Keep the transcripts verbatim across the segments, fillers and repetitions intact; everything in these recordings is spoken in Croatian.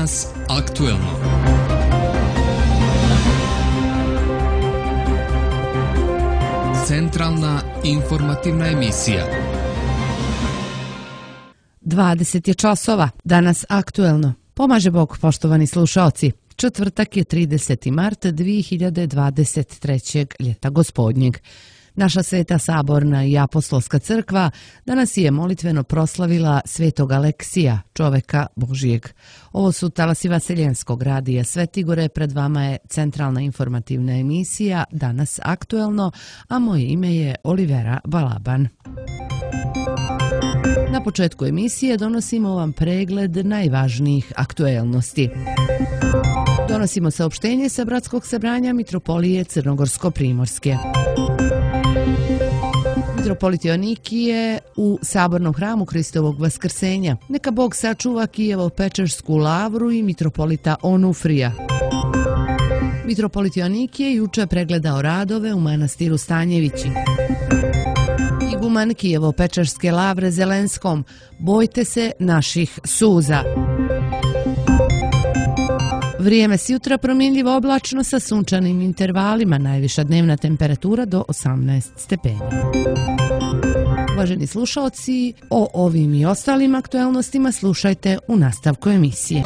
Danas aktuelno. Centralna informativna emisija. dvadeset je časova, danas aktuelno. Pomaže Bog, poštovani slušaoci. Četvrtak je trideseti mart dvije hiljade dvadeset trećeg ljeta gospodnjeg. Naša Sveta Saborna i Apostolska crkva danas je molitveno proslavila svetog Aleksija, čoveka Božijeg. Ovo su talasi Vaseljenskog radija Svetigore, pred vama je centralna informativna emisija Danas aktuelno, a moje ime je Olivera Balaban. Na početku emisije donosimo vam pregled najvažnijih aktuelnosti. Donosimo saopštenje sa Bratskog sabranja Mitropolije Crnogorsko-Primorske. Mitropolit Joanikije u Sabornom hramu Hristovog Vaskrsenja. Neka Bog sačuva Kijevo-Pečersku lavru i mitropolita Onufrija. Mitropolit Joanikije juče pregledao radove u manastiru Stanjevići. Iguman Kijevo-Pečerske lavre Zelenskom: bojte se naših suza. Vrijeme s jutra promjenljivo oblačno sa sunčanim intervalima, najviša dnevna temperatura do osamnaest stepeni. Uvaženi slušalci, o ovim i ostalim aktuelnostima slušajte u nastavku emisije.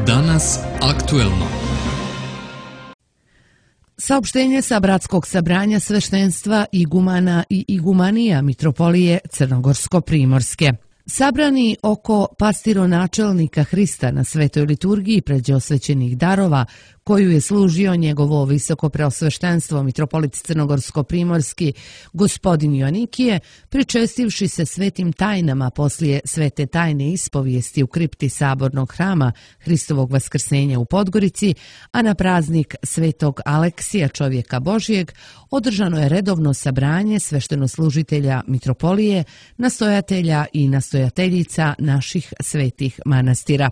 Danas aktuelno. Saopštenje sa Bratskog sabranja sveštenstva igumana i igumanija Mitropolije Crnogorsko-Primorske. Sabrani oko pastironačelnika Hrista na svetoj liturgiji pređe osvećenih darova, koju je služio njegovo visoko preosveštenstvo Mitropolit Crnogorsko-Primorski gospodin Joanikije, pričestivši se svetim tajnama poslije svete tajne ispovijesti u kripti Sabornog hrama Hristovog Vaskrsenja u Podgorici, a na praznik svetog Aleksija, čovjeka Božijeg, održano je redovno sabranje sveštenoslužitelja Mitropolije, nastojatelja i nastojateljica naših svetih manastira.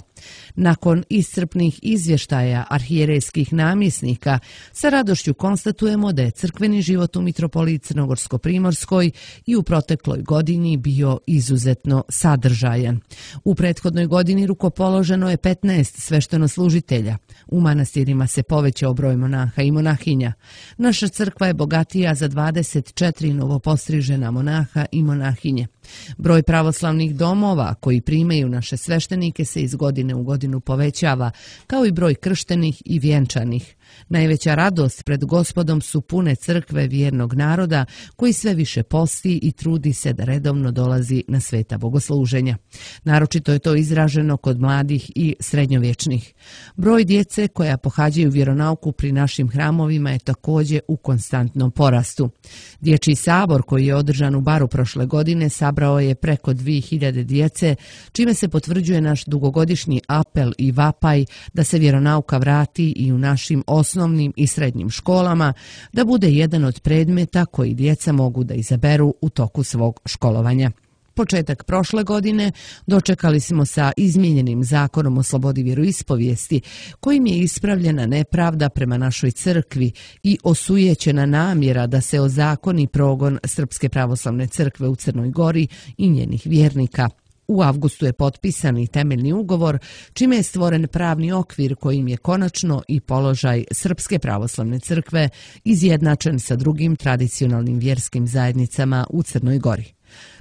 Nakon iscrpnih izvještaja arhijerejskih namjesnika, sa radošću konstatujemo da je crkveni život u Mitropoliji Crnogorsko-Primorskoj i u protekloj godini bio izuzetno sadržajan. U prethodnoj godini rukopoloženo je petnaest sveštenoslužitelja. U manastirima se povećao broj monaha i monahinja. Naša crkva je bogatija za dvadeset četiri novopostrižena monaha i monahinje. Broj pravoslavnih domova koji primaju naše sveštenike se iz godine u godinu povećava, kao i broj krštenih i vjenčanih. Najveća radost pred Gospodom su pune crkve vjernog naroda, koji sve više posti i trudi se da redovno dolazi na sveta bogosluženja. Naročito je to izraženo kod mladih i srednjovječnih. Broj djece koja pohađaju vjeronauku pri našim hramovima je također u konstantnom porastu. Dječji sabor koji je održan u Baru prošle godine sabrao je preko dvije hiljade djece, čime se potvrđuje naš dugogodišnji apel i vapaj da se vjeronauka vrati i u našim osnovnim i srednjim školama, da bude jedan od predmeta koji djeca mogu da izaberu u toku svog školovanja. Početak prošle godine dočekali smo sa izmijenjenim zakonom o slobodi vjeroispovijesti, kojim je ispravljena nepravda prema našoj crkvi i osujećena namjera da se ozakoni progon Srpske pravoslavne crkve u Crnoj Gori i njenih vjernika. U avgustu je potpisan i temeljni ugovor, čime je stvoren pravni okvir kojim je konačno i položaj Srpske pravoslavne crkve izjednačen sa drugim tradicionalnim vjerskim zajednicama u Crnoj Gori.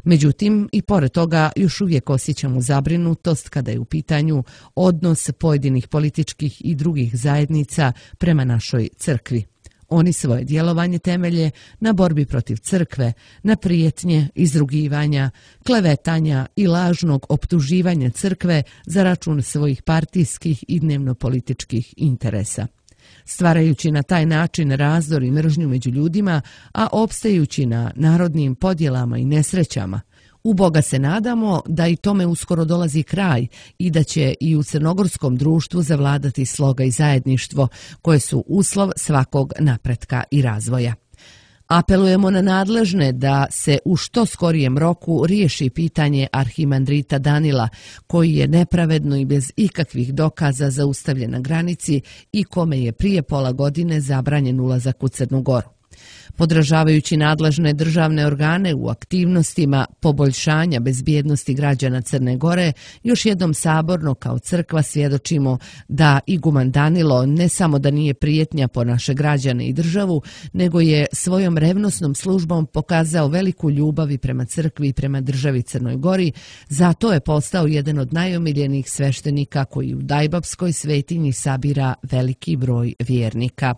Međutim, i pored toga još uvijek osjećamo zabrinutost kada je u pitanju odnos pojedinih političkih i drugih zajednica prema našoj crkvi. Oni svoje djelovanje temelje na borbi protiv crkve, na prijetnje, izrugivanja, klevetanja i lažnog optuživanja crkve za račun svojih partijskih i dnevno-političkih interesa. Stvarajući na taj način razdor i mržnju među ljudima, a opstajući na narodnim podjelama i nesrećama. U Boga se nadamo da i tome uskoro dolazi kraj i da će i u crnogorskom društvu zavladati sloga i zajedništvo, koje su uslov svakog napretka i razvoja. Apelujemo na nadležne da se u što skorijem roku riješi pitanje arhimandrita Danila, koji je nepravedno i bez ikakvih dokaza zaustavljen na granici i kome je prije pola godine zabranjen ulazak u Crnu Goru. Podržavajući nadležne državne organe u aktivnostima poboljšanja bezbjednosti građana Crne Gore, još jednom saborno kao crkva svjedočimo da iguman Danilo ne samo da nije prijetnja po naše građane i državu, nego je svojom revnosnom službom pokazao veliku ljubav i prema crkvi i prema državi Crnoj Gori, zato je postao jedan od najomiljenijih sveštenika koji u Dajbabskoj svetinji sabira veliki broj vjernika.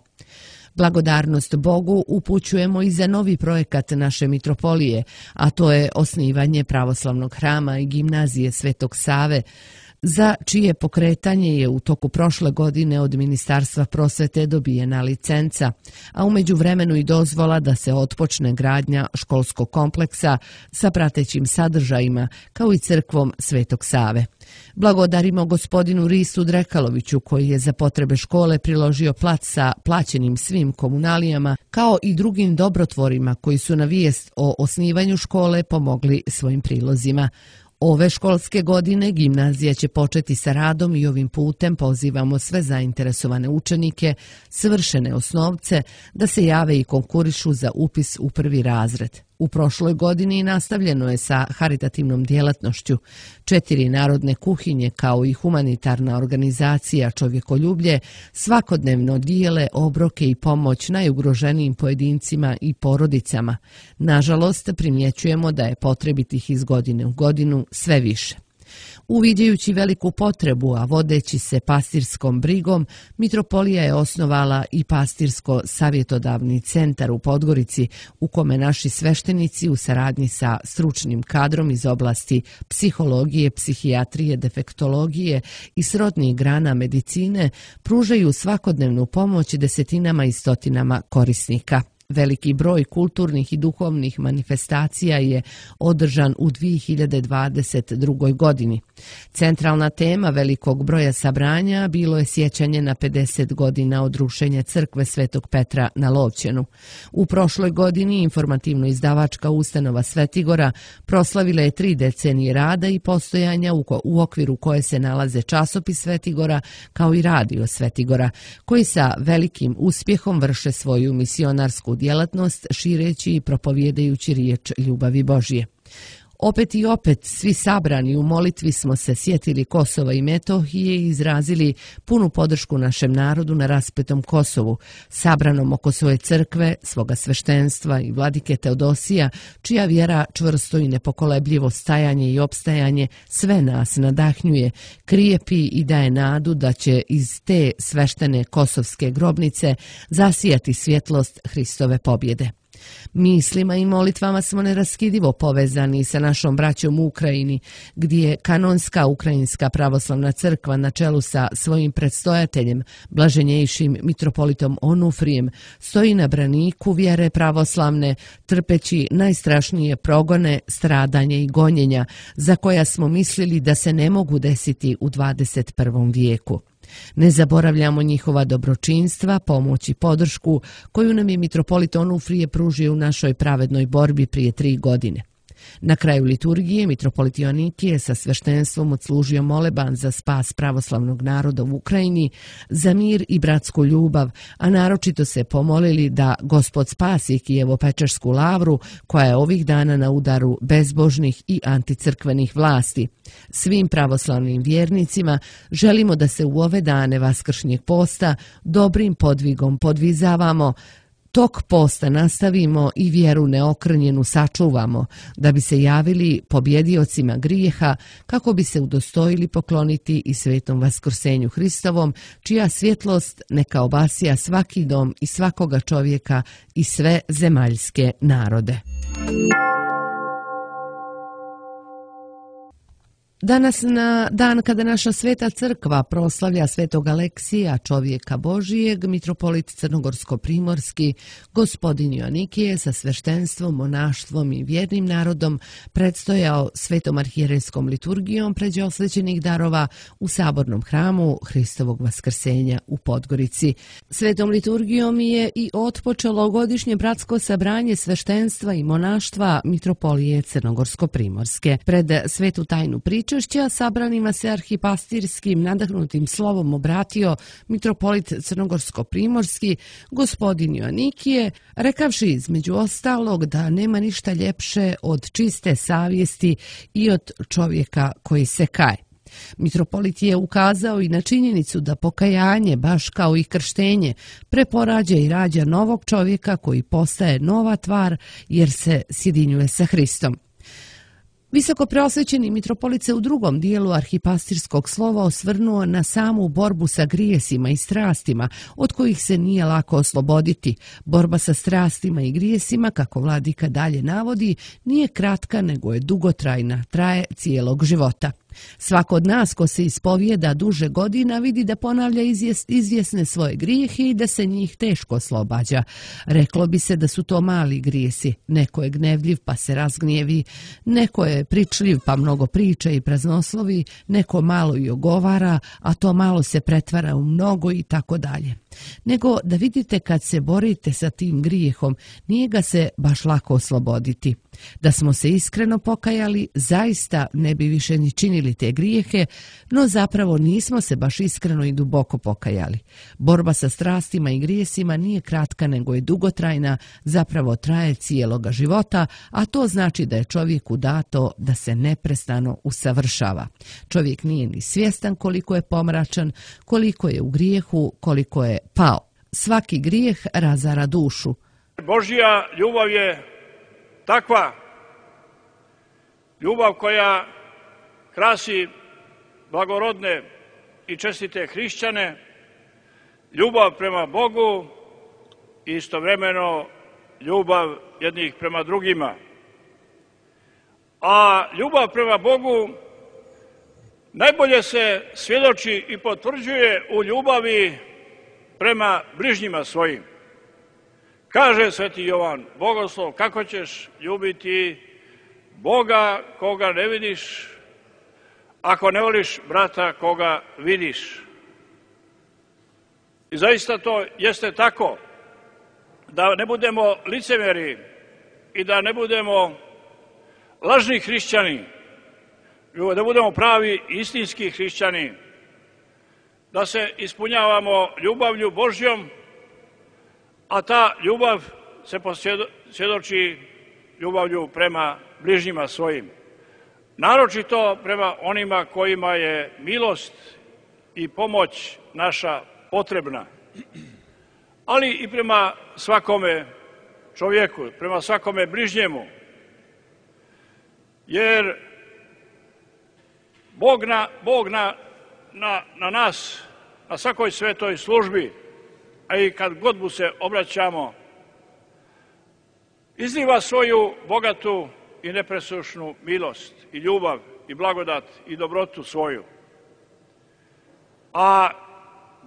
Blagodarnost Bogu upućujemo i za novi projekat naše mitropolije, a to je osnivanje pravoslavnog hrama i gimnazije Svetog Save, za čije pokretanje je u toku prošle godine od Ministarstva prosvete dobijena licenca, a u međuvremenu i dozvola da se otpočne gradnja školskog kompleksa sa pratećim sadržajima, kao i crkvom Svetog Save. Blagodarimo gospodinu Ristu Drekaloviću koji je za potrebe škole priložio plac sa plaćenim svim komunalijama, kao i drugim dobrotvorima koji su na vijest o osnivanju škole pomogli svojim prilozima. Ove školske godine gimnazija će početi sa radom i ovim putem pozivamo sve zainteresovane učenike, svršene osnovce, da se jave i konkurišu za upis u prvi razred. U prošloj godini nastavljeno je sa haritativnom djelatnošću. Četiri narodne kuhinje kao i humanitarna organizacija Čovjekoljublje svakodnevno dijele obroke i pomoć najugroženijim pojedincima i porodicama. Nažalost, primjećujemo da je potrebitih iz godine u godinu sve više. Uviđajući veliku potrebu, a vodeći se pastirskom brigom, mitropolija je osnovala i pastirsko-savjetodavni centar u Podgorici, u kome naši sveštenici u saradnji sa stručnim kadrom iz oblasti psihologije, psihijatrije, defektologije i srodnih grana medicine pružaju svakodnevnu pomoć desetinama i stotinama korisnika. Veliki broj kulturnih i duhovnih manifestacija je održan u dvije hiljade dvadeset drugoj. godini. Centralna tema velikog broja sabranja bilo je sjećanje na pedeset godina od rušenja crkve Svetog Petra na Lovćenu. U prošloj godini informativno-izdavačka ustanova Svetigora proslavila je tri decenije rada i postojanja u, u okviru koje se nalaze časopis Svetigora kao i radio Svetigora, koji sa velikim uspjehom vrše svoju misionarsku djelatnost šireći i propovjedajući riječ ljubavi Božje. Opet i opet, svi sabrani u molitvi smo se sjetili Kosova i Metohije i izrazili punu podršku našem narodu na raspetom Kosovu, sabranom oko svoje crkve, svoga sveštenstva i vladike Teodosija, čija vjera čvrsto i nepokolebljivo stajanje i opstajanje sve nas nadahnjuje, krijepi i daje nadu da će iz te sveštene kosovske grobnice zasijati svjetlost Hristove pobjede. Mislima i molitvama smo neraskidivo povezani sa našom braćom u Ukrajini, gdje kanonska Ukrajinska pravoslavna crkva na čelu sa svojim predstojateljem, blaženjejšim mitropolitom Onufrijem, stoji na braniku vjere pravoslavne, trpeći najstrašnije progone, stradanje i gonjenja, za koja smo mislili da se ne mogu desiti u dvadeset prvom vijeku. Ne zaboravljamo njihova dobročinstva, pomoć i podršku koju nam je mitropolit Onufrije pružio u našoj pravednoj borbi prije tri godine. Na kraju liturgije mitropolit Joanikije sa sveštenstvom odslužio moleban za spas pravoslavnog naroda u Ukrajini, za mir i bratsku ljubav, a naročito se pomolili da Gospod spasi Kijevo-Pečersku lavru, koja je ovih dana na udaru bezbožnih i anticrkvenih vlasti. Svim pravoslavnim vjernicima želimo da se u ove dane vaskršnjeg posta dobrim podvigom podvizavamo, tok posta nastavimo i vjeru neokrnjenu sačuvamo, da bi se javili pobjediocima grijeha, kako bi se udostojili pokloniti i svetom vaskrsenju Hristovom, čija svjetlost neka obasija svaki dom i svakoga čovjeka i sve zemaljske narode. Danas, na dan kada naša sveta crkva proslavlja svetog Aleksija, čovjeka Božijeg, mitropolit crnogorsko-primorski, gospodin Joanikije sa sveštenstvom, monaštvom i vjernim narodom predstojao svetom arhijerejskom liturgijom pređe osvećenih darova u sabornom hramu Hristovog vaskrsenja u Podgorici. Svetom liturgijom je i otpočelo godišnje bratsko sabranje sveštenstva i monaštva mitropolije crnogorsko-primorske. Pred svetu tajnu priču pričešća sabranima se arhipastirskim nadahnutim slovom obratio mitropolit crnogorsko-primorski gospodin Joanikije, rekavši između ostalog da nema ništa ljepše od čiste savjesti i od čovjeka koji se kaje. Mitropolit je ukazao i na činjenicu da pokajanje, baš kao i krštenje, preporađa i rađa novog čovjeka koji postaje nova tvar jer se sjedinjuje sa Hristom. Visoko preosvećeni mitropolit se u drugom dijelu arhipastirskog slova osvrnuo na samu borbu sa grijesima i strastima, od kojih se nije lako osloboditi. Borba sa strastima i grijesima, kako vladika dalje navodi, nije kratka nego je dugotrajna, traje cijelog života. Svako od nas ko se ispovijeda duže godina vidi da ponavlja izvjesne svoje grijehe i da se njih teško oslobađa. Reklo bi se da su to mali grijesi. Neko je gnevljiv pa se razgnjevi, neko je pričljiv pa mnogo priča i praznoslovi, neko malo i ogovara, a to malo se pretvara u mnogo i tako dalje. Nego da vidite kad se borite sa tim grijehom, nije ga se baš lako osloboditi. Da smo se iskreno pokajali, zaista ne bi više ni činili te grijehe, no zapravo nismo se baš iskreno i duboko pokajali. Borba sa strastima i grijesima nije kratka nego je dugotrajna, zapravo traje cijeloga života, a to znači da je čovjeku dato da se neprestano usavršava. Čovjek nije ni svjestan koliko je pomračan, koliko je u grijehu, koliko je pao. Svaki grijeh razara dušu. Božja ljubav je takva ljubav koja krasi blagorodne i čestite hrišćane, ljubav prema Bogu i istovremeno ljubav jednih prema drugima. A ljubav prema Bogu najbolje se svjedoči i potvrđuje u ljubavi prema bližnjima svojim. Kaže sveti Jovan Bogoslov, kako ćeš ljubiti Boga koga ne vidiš, ako ne voliš brata koga vidiš. I zaista to jeste tako, da ne budemo licemjeri i da ne budemo lažni hrišćani, da budemo pravi istinski hrišćani, da se ispunjavamo ljubavlju Božjom, a ta ljubav se posvjedoči ljubavlju prema bližnjima svojim. Naročito prema onima kojima je milost i pomoć naša potrebna, ali i prema svakome čovjeku, prema svakome bližnjemu. Jer Bog na, Bog na, na, na nas, na svakoj svetoj službi, a i kad god mu se obraćamo, izliva svoju bogatu i nepresušnu milost i ljubav i blagodat i dobrotu svoju. A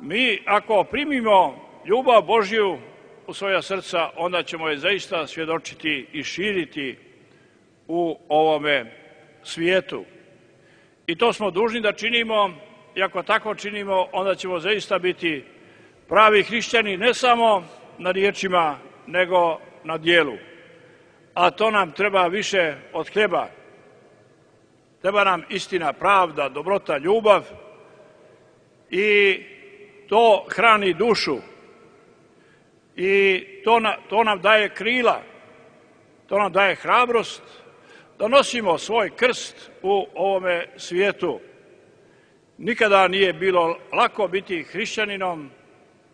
mi ako primimo ljubav Božju u svoja srca, onda ćemo je zaista svjedočiti i širiti u ovome svijetu. I to smo dužni da činimo, i ako tako činimo, onda ćemo zaista biti pravi hrišćani ne samo na riječima, nego na djelu. A to nam treba više od hljeba. Treba nam istina, pravda, dobrota, ljubav i to hrani dušu. I to, na, to nam daje krila, to nam daje hrabrost da nosimo svoj krst u ovome svijetu. Nikada nije bilo lako biti hrišćaninom,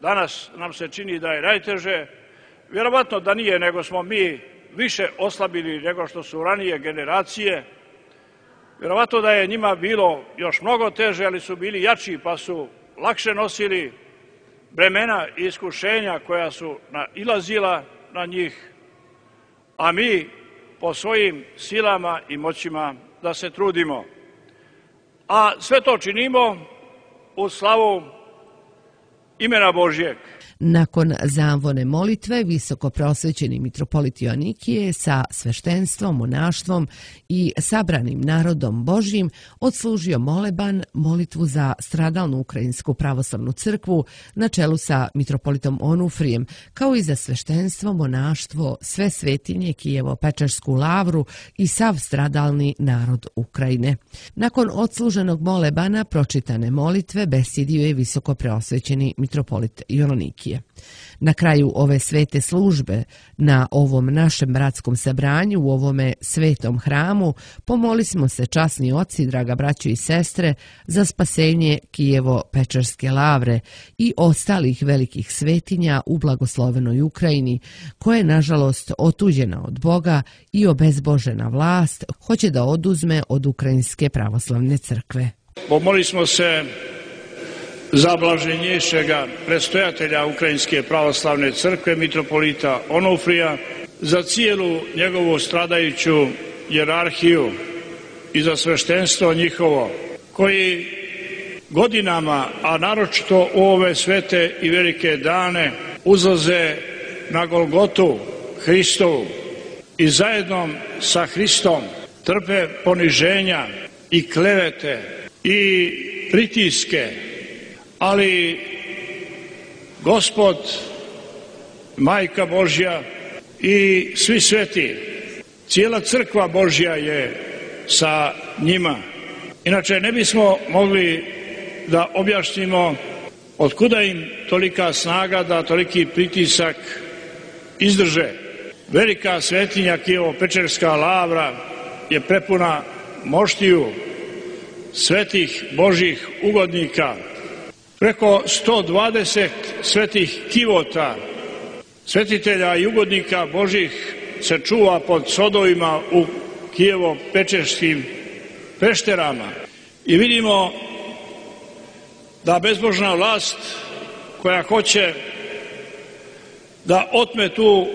danas nam se čini da je najteže. Vjerovatno da nije, nego smo mi više oslabili nego što su ranije generacije. Vjerovatno da je njima bilo još mnogo teže, ali su bili jači pa su lakše nosili bremena i iskušenja koja su nailazila na njih, a mi po svojim silama i moćima da se trudimo. A sve to činimo u slavu imena Božjeg. Nakon zamvone molitve, visoko preosvećeni mitropolit Joanikije sa sveštenstvom, monaštvom i sabranim narodom Božjim odslužio moleban, molitvu za stradalnu Ukrajinsku pravoslavnu crkvu na čelu sa mitropolitom Onufrijem, kao i za sveštenstvo, monaštvo, sve svetinje, Kijevo-Pečersku lavru i sav stradalni narod Ukrajine. Nakon odsluženog molebana pročitane molitve besjedio je visoko preosvećeni mitropolit Joanikije. Na kraju ove svete službe, na ovom našem bratskom sabranju, u ovome svetom hramu, pomolismo se, časni oci, draga braćo i sestre, za spasenje Kijevo-Pečerske lavre i ostalih velikih svetinja u blagoslovenoj Ukrajini, koja je nažalost otuđena od Boga i obezbožena vlast hoće da oduzme od Ukrajinske pravoslavne crkve. Pomolismo se za blaženješega predstojatelja Ukrajinske pravoslavne crkve, mitropolita Onufrija, za cijelu njegovu stradajuću jerarhiju i za sveštenstvo njihovo, koji godinama, a naročito u ove svete i velike dane, uzlaze na Golgotu Hristovu i zajedno sa Hristom trpe poniženja i klevete i pritiske, ali Gospod, Majka Božja i svi sveti, cijela crkva Božja je sa njima. Inače ne bismo mogli da objašnjimo otkuda im tolika snaga da toliki pritisak izdrže. Velika svetinja Kijevo-Pečerska lavra je prepuna moštiju svetih Božjih ugodnika. Preko sto dvadeset svetih kivota, svetitelja i ugodnika Božih se čuva pod sodovima u Kijevo-Pečerskim pešterama. I vidimo da bezbožna vlast koja hoće da otme tu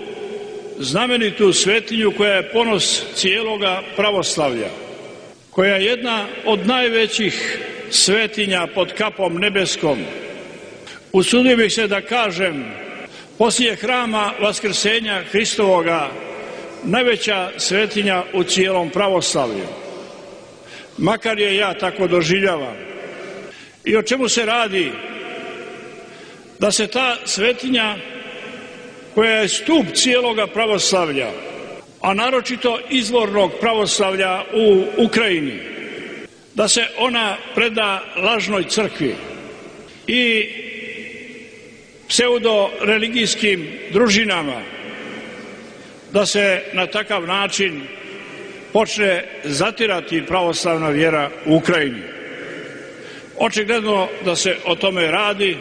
znamenitu svetinju koja je ponos cijeloga pravoslavlja, koja je jedna od najvećih svetinja pod kapom nebeskom. Usudio bih se da kažem, poslije hrama Vaskrsenja Hristovoga, najveća svetinja u cijelom pravoslavlju. Makar je ja tako doživljavam. I o čemu se radi? Da se ta svetinja, koja je stup cijeloga pravoslavlja, a naročito izvornog pravoslavlja u Ukrajini, da se ona preda lažnoj crkvi i pseudo-religijskim družinama, da se na takav način počne zatirati pravoslavna vjera u Ukrajini. Očigledno da se o tome radi.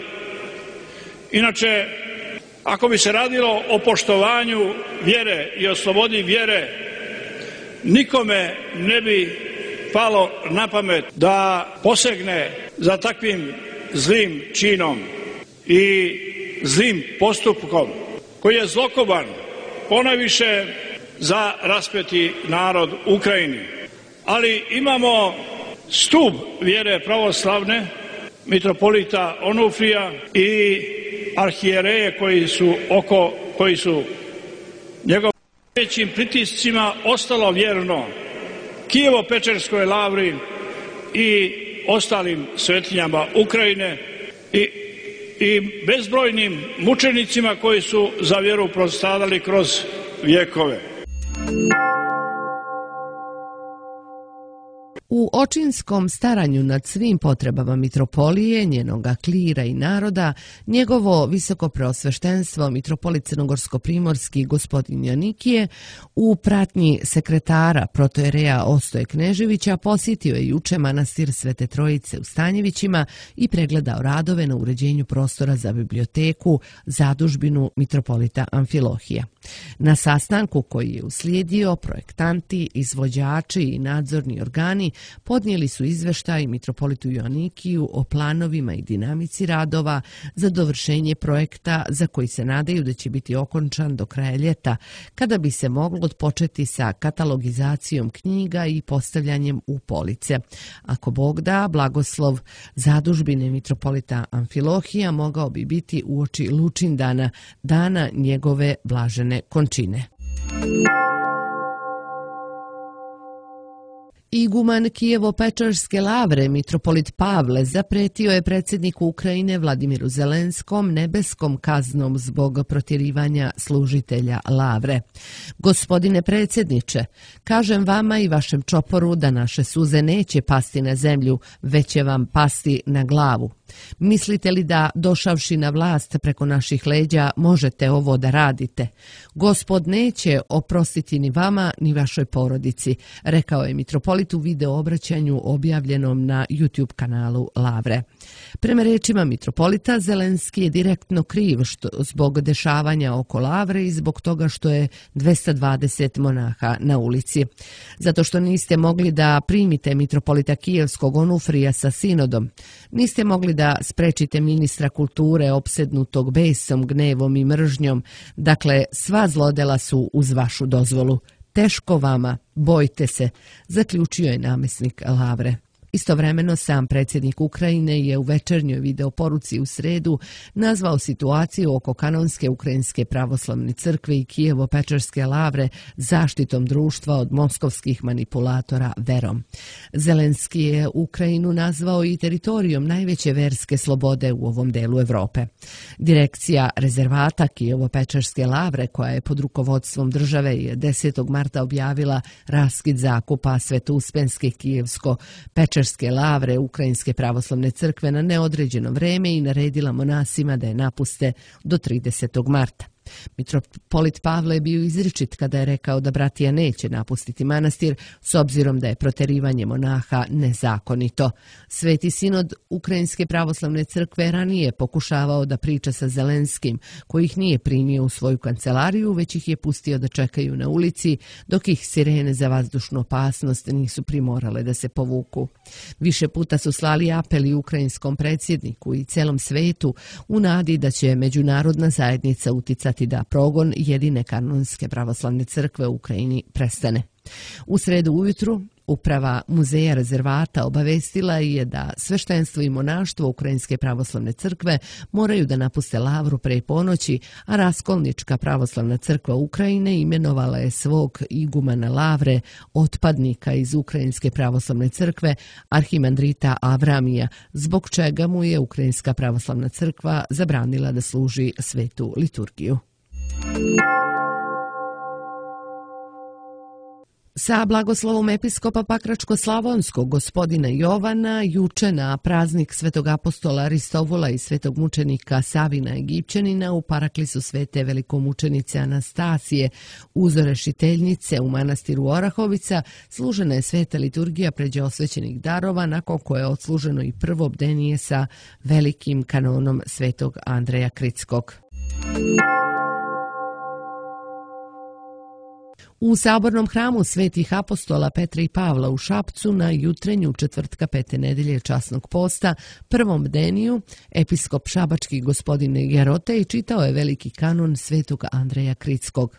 Inače, ako bi se radilo o poštovanju vjere i o slobodi vjere, nikome ne bi palo na pamet da posegne za takvim zlim činom i zlim postupkom koji je zlokoban ponajviše za raspeti narod Ukrajini. Ali imamo stup vjere pravoslavne, mitropolita Onufrija i arhijereje koji su oko, koji su njegovim većim pritiscima ostalo vjerno Kijevo-Pečerskoj lavri i ostalim svetinjama Ukrajine i, i bezbrojnim mučenicima koji su za vjeru prostradali kroz vjekove. U očinskom staranju nad svim potrebama mitropolije, njenoga klira i naroda, njegovo visoko preosveštenstvo mitropolit crnogorsko-primorski gospodin Joanikije u pratnji sekretara protojereja Ostoje Kneževića posjetio je juče manastir Svete Trojice u Stanjevićima i pregledao radove na uređenju prostora za biblioteku, zadužbinu mitropolita Amfilohija. Na sastanku koji je uslijedio, projektanti, izvođači i nadzorni organi podnijeli su izveštaj mitropolitu Joannikiju o planovima i dinamici radova za dovršenje projekta za koji se nadaju da će biti okončan do kraja ljeta, kada bi se moglo odpočeti sa katalogizacijom knjiga i postavljanjem u police. Ako Bog da, blagoslov zadužbine mitropolita Amfilohija mogao bi biti uoči Lučindana, dana njegove blažene končine. Iguman Kijevo-Pečarske lavre, mitropolit Pavle, zapretio je predsjedniku Ukrajine Vladimiru Zelenskom nebeskom kaznom zbog protjerivanja služitelja lavre. Gospodine predsjedniče, kažem vama i vašem čoporu da naše suze neće pasti na zemlju, već će vam pasti na glavu. Mislite li da, došavši na vlast preko naših leđa, možete ovo da radite? Gospod neće oprostiti ni vama, ni vašoj porodici, rekao je mitropolit u video obraćanju objavljenom na YouTube kanalu Lavre. Prema rečima mitropolita, Zelenski je direktno kriv što, zbog dešavanja oko Lavre i zbog toga što je dvesta dvadeset monaha na ulici. Zato što niste mogli da primite mitropolita Kijevskog Onufrija sa sinodom, niste mogli da sprečite ministra kulture opsednutog besom, gnevom i mržnjom. Dakle, sva zlodela su uz vašu dozvolu. Teško vama, bojte se, zaključio je namjesnik Lavre. Istovremeno sam predsjednik Ukrajine je u večernjoj videoporuci u sredu nazvao situaciju oko kanonske ukrajinske pravoslavne crkve i Kijevo-Pečarske lavre zaštitom društva od moskovskih manipulatora verom. Zelenski je Ukrajinu nazvao i teritorijom najveće verske slobode u ovom delu Europe. Direkcija rezervata Kijevo-Pečarske lavre, koja je pod rukovodstvom države, je desetog marta objavila raskid zakupa Svetouspensке Kijevsko-Pečarske lavre Ukrajinske pravoslavne crkve na neodređeno vreme i naredila monasima da je napuste do tridesetog marta. Mitropolit Pavle je bio izričit kada je rekao da bratija neće napustiti manastir s obzirom da je proterivanje monaha nezakonito. Sveti sinod Ukrajinske pravoslavne crkve ranije pokušavao da priča sa Zelenskim, koji ih nije primio u svoju kancelariju, već ih je pustio da čekaju na ulici, dok ih sirene za vazdušnu opasnost nisu primorale da se povuku. Više puta su slali apeli ukrajinskom predsjedniku i celom svetu u nadi da će međunarodna zajednica uticati da progon jedine kanonske pravoslavne crkve u Ukrajini prestane. U sredu ujutru uprava muzeja rezervata obavestila je da sveštenstvo i monaštvo Ukrajinske pravoslavne crkve moraju da napuste lavru pre ponoći, a Raskolnička pravoslavna crkva Ukrajine imenovala je svog igumana lavre, otpadnika iz Ukrajinske pravoslavne crkve, arhimandrita Avramija, zbog čega mu je Ukrajinska pravoslavna crkva zabranila da služi svetu liturgiju. Sa blagoslovom episkopa Pakračko-Slavonskog gospodina Jovana juče na praznik svetog apostola Aristovula i svetog mučenika Savina Egipćanina u paraklisu svete velikomučenice Anastasije uzorešiteljnice u manastiru Orahovica služena je sveta liturgija pređe osvećenih darova, nakon koje je odsluženo i prvo bdenije sa velikim kanonom svetog Andreja Kritskog. U sabornom hramu svetih apostola Petra i Pavla u Šapcu na jutrenju četvrtka pete nedelje časnog posta, prvom bdeniju, episkop šabački gospodin Jarotej čitao je veliki kanon svetog Andreja Kritskog.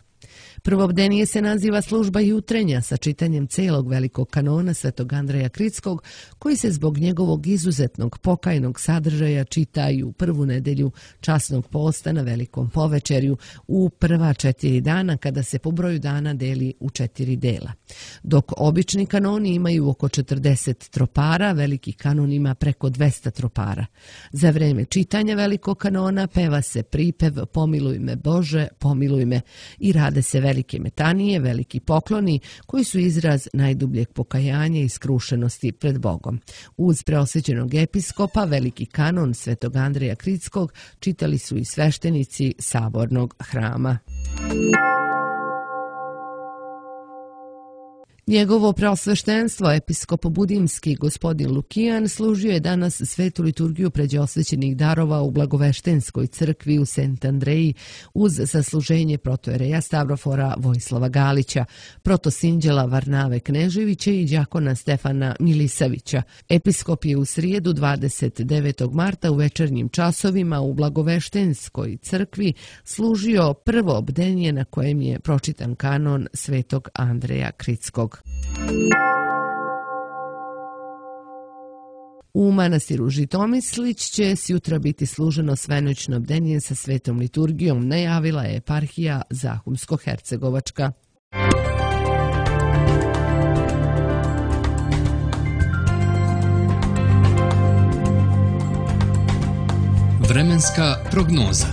Prvobdenije se naziva služba jutrenja sa čitanjem celog velikog kanona svetog Andreja Kritskog, koji se zbog njegovog izuzetnog pokajnog sadržaja čita i u prvu nedelju časnog posta na velikom povečerju u prva četiri dana kada se po broju dana deli u četiri dela. Dok obični kanoni imaju oko četrdeset tropara, veliki kanon ima preko dvesta tropara. Za vreme čitanja velikog kanona peva se pripev Pomiluj me Bože, pomiluj me i rade se velike metanije, veliki pokloni koji su izraz najdubljeg pokajanja i skrušenosti pred Bogom. Uz preosvećenog episkopa veliki kanon svetog Andreja Kritskog čitali su i sveštenici sabornog hrama. Njegovo preosveštenstvo, episkop Budimski gospodin Lukijan, služio je danas svetu liturgiju pređe osvećenih darova u Blagoveštenskoj crkvi u Sent Andreji uz zasluženje protojereja Stavrofora Vojislava Galića, protosinđela Varnave Kneževića i đakona Stefana Milisavića. Episkop je u srijedu dvadeset devetog marta u večernjim časovima u Blagoveštenskoj crkvi služio prvo bdenje na kojem je pročitan kanon svetog Andreja Kritskog. U manastiru Žitomislić će sjutra biti služeno svenoćno bdenje sa svetom liturgijom, najavila je eparhija Zahumsko-Hercegovačka. Vremenska prognoza.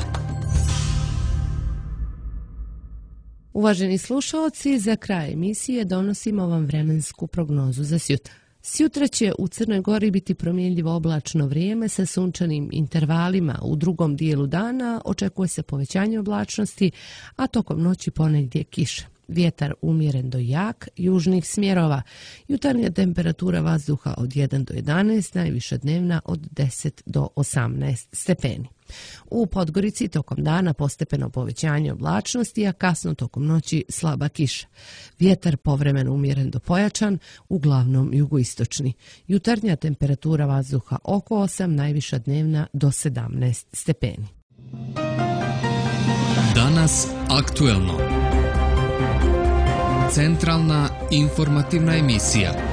Uvaženi slušalci, za kraj emisije donosimo vam vremensku prognozu za sjutra. Sjutra će u Crnoj Gori biti promjenljivo oblačno vrijeme sa sunčanim intervalima. U drugom dijelu dana očekuje se povećanje oblačnosti, a tokom noći ponegdje kiša. Vjetar umjeren do jak, južnih smjerova. Jutarnja temperatura vazduha od jedan do jedanaest, najviša dnevna od deset do osamnaest stepeni. U Podgorici tokom dana postepeno povećanje oblačnosti, a kasno tokom noći slaba kiša. Vjetar povremeno umjeren do pojačan, uglavnom jugoistočni. Jutarnja temperatura vazduha oko osam, najviša dnevna do sedamnaest stepeni. Danas aktuelno. Centralna informativna emisija.